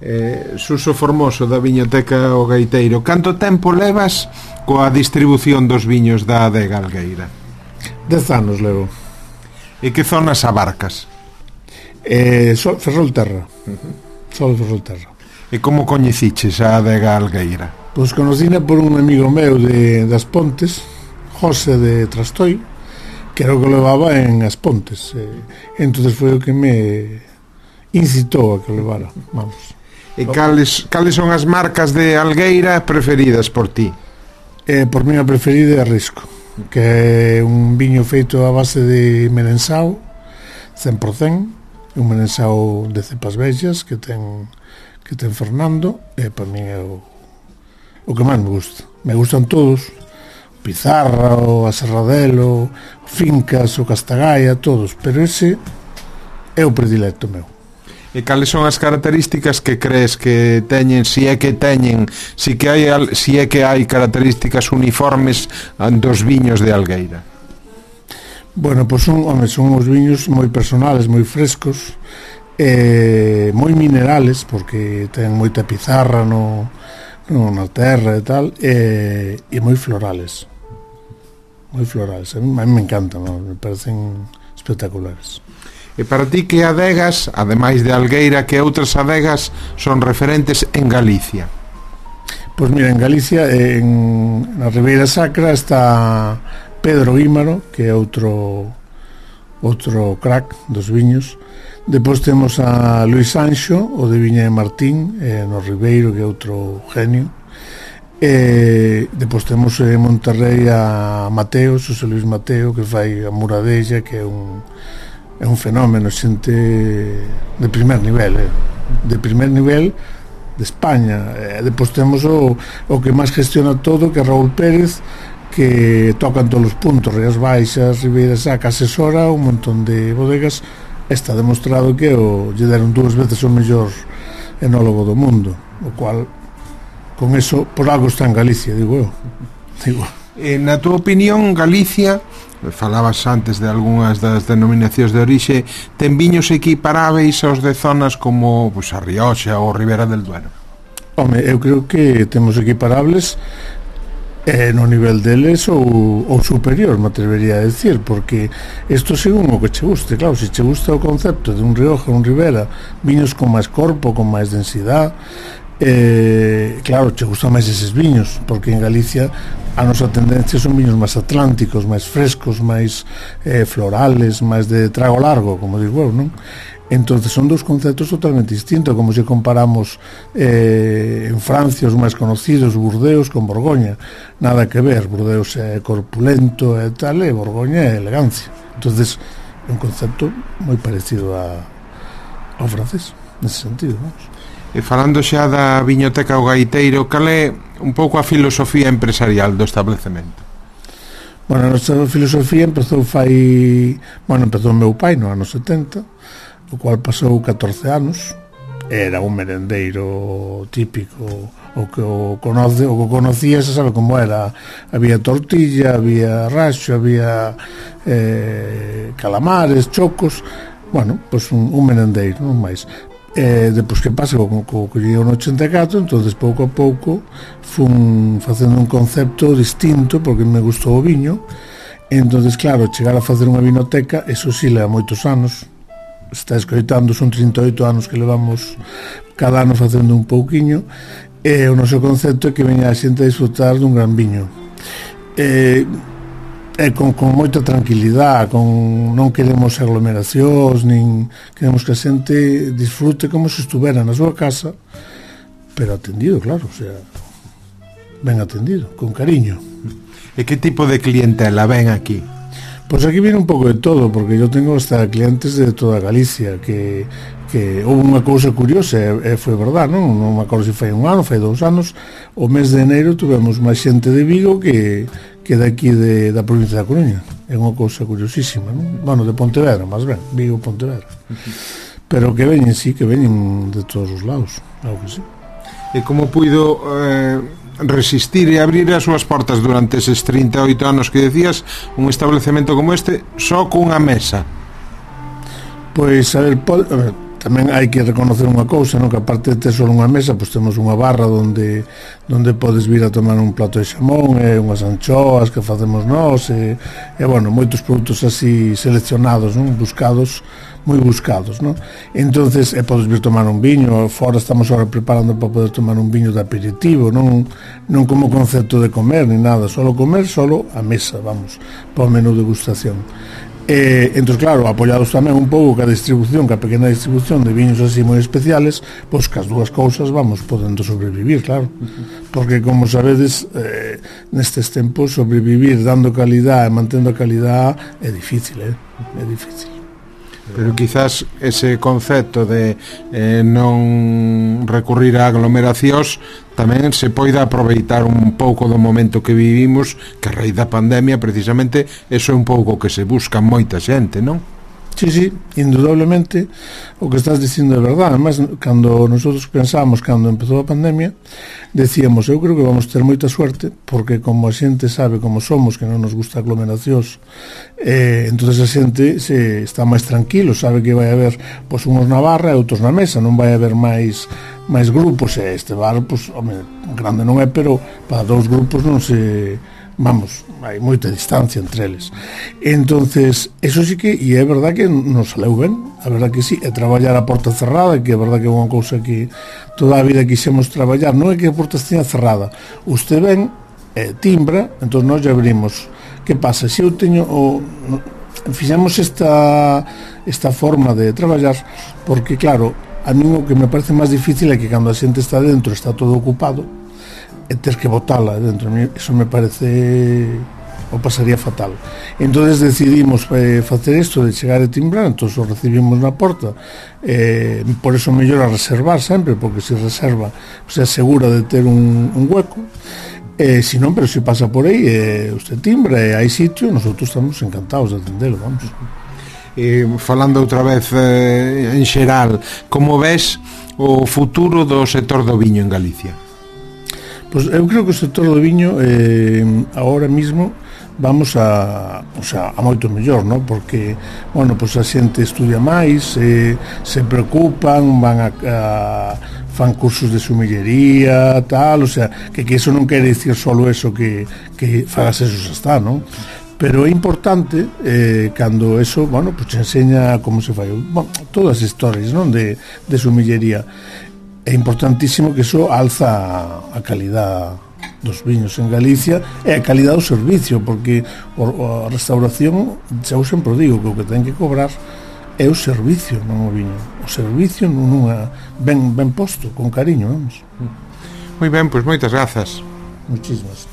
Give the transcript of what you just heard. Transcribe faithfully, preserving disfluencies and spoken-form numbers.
eh, Suso Formoso da Viñoteca O Gaiteiro, canto tempo levas coa distribución dos viños da Adega Algueira? Dez anos levo. E que zonas abarcas? Eh, so, Ferrolterra. Uh-huh. Só de Ferrolterra. E como coñeciches a Adega Algueira? Pois conocina por un amigo meu de, das Pontes, José de Trastoi, que era o que levaba en As Pontes. Eh, entonces foi o que me incitou a que levara, vamos. E cales, cales son as marcas de Algueira preferidas por ti? Eh, por mí a preferida é Risco, que é un viño feito a base de merensao cen por cento, un merensao de cepas bellas que ten que ten Fernando, e para mí é o, o que máis me gusta. Me gustan todos, o Pizarra, o Aserradelo, o Fincas, o Castagaia, todos, pero ese é o predilecto meu. E cales son as características que crees que teñen, si é que teñen, si que hai si é que hai características uniformes dos viños de Algueira? Bueno, pois son, home, son os viños moi personales, moi frescos, eh, moi minerales, porque ten moita pizarra no, no na terra e tal, e, e moi florales. Moi florales, a mí, a mí me encantan, ¿no? Me parecen espectaculares. E para ti, que adegas, ademais de Algueira, que outras adegas son referentes en Galicia? Pois mira, en Galicia, en, na Ribeira Sacra, está Pedro Guímaro, que é outro outro crack dos viños. Depois temos a Luis Sancho, o de Viña de Martín, eh, no Ribeiro, que é outro genio. E depois temos en Monterrey a Mateo, José Luis Mateo, que fai a Muradella, que é un é un fenómeno, xente de primer nivel, eh? de primer nivel de España. E depois temos o, o que máis gestiona todo, que é Raúl Pérez, que tocan todos os puntos, Rías Baixas, Ribeira Sacra, asesora un montón de bodegas. Está demostrado que o, lle deron dúas veces o mellor enólogo do mundo, o cual, con eso, por algo está en Galicia, digo eu. Digo. E, na túa opinión, Galicia, falabas antes de algunhas das denominacións de orixe, ten viños equiparáveis aos de zonas como pues, a Rioxa ou Ribera del Duero? Home, eu creo que temos equiparables eh, no nivel deles ou, ou superior, me atrevería a decir, porque isto según o que che guste. Claro, se che gusta o concepto de un Rioja, un Ribera, viños con máis corpo, con máis densidade, eh, claro, che gustan máis eses viños, porque en Galicia a nosa tendencia son viños máis atlánticos, máis frescos, máis eh, florales, máis de trago largo, como digo eu, non? Entonces son dos conceptos totalmente distintos, como se comparamos eh, en Francia os máis conocidos, Burdeos con Borgoña. Nada que ver, Burdeos é corpulento e tal, e Borgoña é elegancia. Entonces é un concepto moi parecido a, ao francés, nese sentido, vamos. E falando xa da Viñoteca O Gaiteiro, cal é un pouco a filosofía empresarial do establecemento? Bueno, a nosa filosofía empezou fai... Bueno, empezou o meu pai no ano setenta, o cual pasou catorce anos. Era un merendeiro típico, o que o conoce, o que conocía, se sabe como era. Había tortilla, había raxo, había eh, calamares, chocos. Bueno, pois pues un, un merendeiro, non máis. Eh, depois que pasa co, co, co lleguei no ochenta e catro, entonces pouco a pouco fun facendo un concepto distinto, porque me gustou o viño. Entonces, claro, chegar a facer unha vinoteca, eso sí leva moitos anos. Está escoitando, son trinta e oito anos que levamos cada ano facendo un pouquiño, e o noso concepto é que veña a xente a disfrutar dun gran viño. Eh, E con, con moita tranquilidade, con, non queremos aglomeracións, nin queremos que a xente disfrute como se estuvera na súa casa, pero atendido, claro, o sea, ben atendido, con cariño. E que tipo de clientela ven aquí? Pois aquí viene un pouco de todo, porque eu tengo hasta clientes de toda Galicia, que, que houve unha cousa curiosa, e, e foi verdad, non? Non me acordo se foi un ano, foi dous anos, o mes de enero tuvemos máis xente de Vigo que que daqui de, da provincia da Coruña. É unha cousa curiosísima, non? Bueno, de Pontevedra, máis ben, Vigo, Pontevedra. Uh-huh. Pero que veñen, sí, que veñen de todos os lados, claro que sí. E como puido eh, resistir e abrir as súas portas durante eses trinta e oito anos que decías, un establecemento como este, só cunha mesa? Pois, a ver, pode, a ver tamén hai que reconocer unha cousa, non? Que aparte de ter só unha mesa, pois temos unha barra onde onde podes vir a tomar un plato de xamón e unhas anchoas que facemos nós e, e bueno, moitos produtos así seleccionados, non? Buscados, moi buscados, non? Entonces, e podes vir tomar un viño, fora estamos agora preparando para poder tomar un viño de aperitivo, non non como concepto de comer ni nada, solo comer, solo a mesa, vamos, para o menú de degustación. E, entón, claro, apoiados tamén un pouco ca distribución, ca pequena distribución de viños así moi especiales, pois que as dúas cousas vamos podendo sobrevivir, claro. Porque, como sabedes, eh, nestes tempos sobrevivir dando calidad e mantendo a calidad é difícil, eh? É difícil. Pero quizás ese concepto de eh, non recurrir a aglomeracións tamén se poida aproveitar un pouco do momento que vivimos, que a raíz da pandemia precisamente eso é un pouco que se busca moita xente, non? Sí, sí, indudablemente o que estás dicindo é verdade. Además, cando nosotros pensamos, cando empezou a pandemia, decíamos, eu creo que vamos ter moita suerte, porque como a xente sabe como somos, que non nos gusta aglomeracións, eh, entonces a xente se está máis tranquilo, sabe que vai haber pois, uns na barra e outros na mesa, non vai haber máis máis grupos, e este bar, pois, home, grande non é, pero para dous grupos non se... vamos, hai moita distancia entre eles. Entonces, eso sí que, e é verdad que nos saleu ben, a verdad que sí, é traballar a porta cerrada, que é verdad que é unha cousa que toda a vida quixemos traballar, non é que a porta esteña cerrada, usted ven, eh, timbra, entón nós ya abrimos. Que pasa? Se eu teño o... fixemos esta esta forma de traballar, porque claro, a mí o que me parece máis difícil é que cando a xente está dentro está todo ocupado, e ter que botala dentro, eso me parece o pasaría fatal. Entonces decidimos eh, facer isto de chegar e timbrar, entón o recibimos na porta, eh, por eso mellor a reservar sempre, porque se reserva se asegura de ter un, un hueco, eh, si non, pero se pasa por aí eh, usted timbra e hai sitio, nosotros estamos encantados de atendelo, vamos. Eh, falando outra vez eh, en xeral, como ves o futuro do sector do viño en Galicia? Pois eu creo que o sector do viño eh, agora mismo vamos a, o sea, a moito mellor, ¿no? Porque, bueno, pois a xente estudia máis, eh, se preocupan, van a, a fan cursos de sumillería, tal, o sea, que, que eso non quere dicir solo eso que, que fagas eso xa está, ¿no? Pero é importante eh, cando eso, bueno, pois te enseña como se fai, bueno, todas as historias, non? De, de sumillería. É importantísimo que iso alza a calidad dos viños en Galicia e a calidad do servicio, porque a restauración, xa eu sempre digo que o que ten que cobrar é o servicio, non o viño. O servicio nunha ben, ben posto, con cariño, vamos. Moi ben, pois moitas grazas. Muchísimas.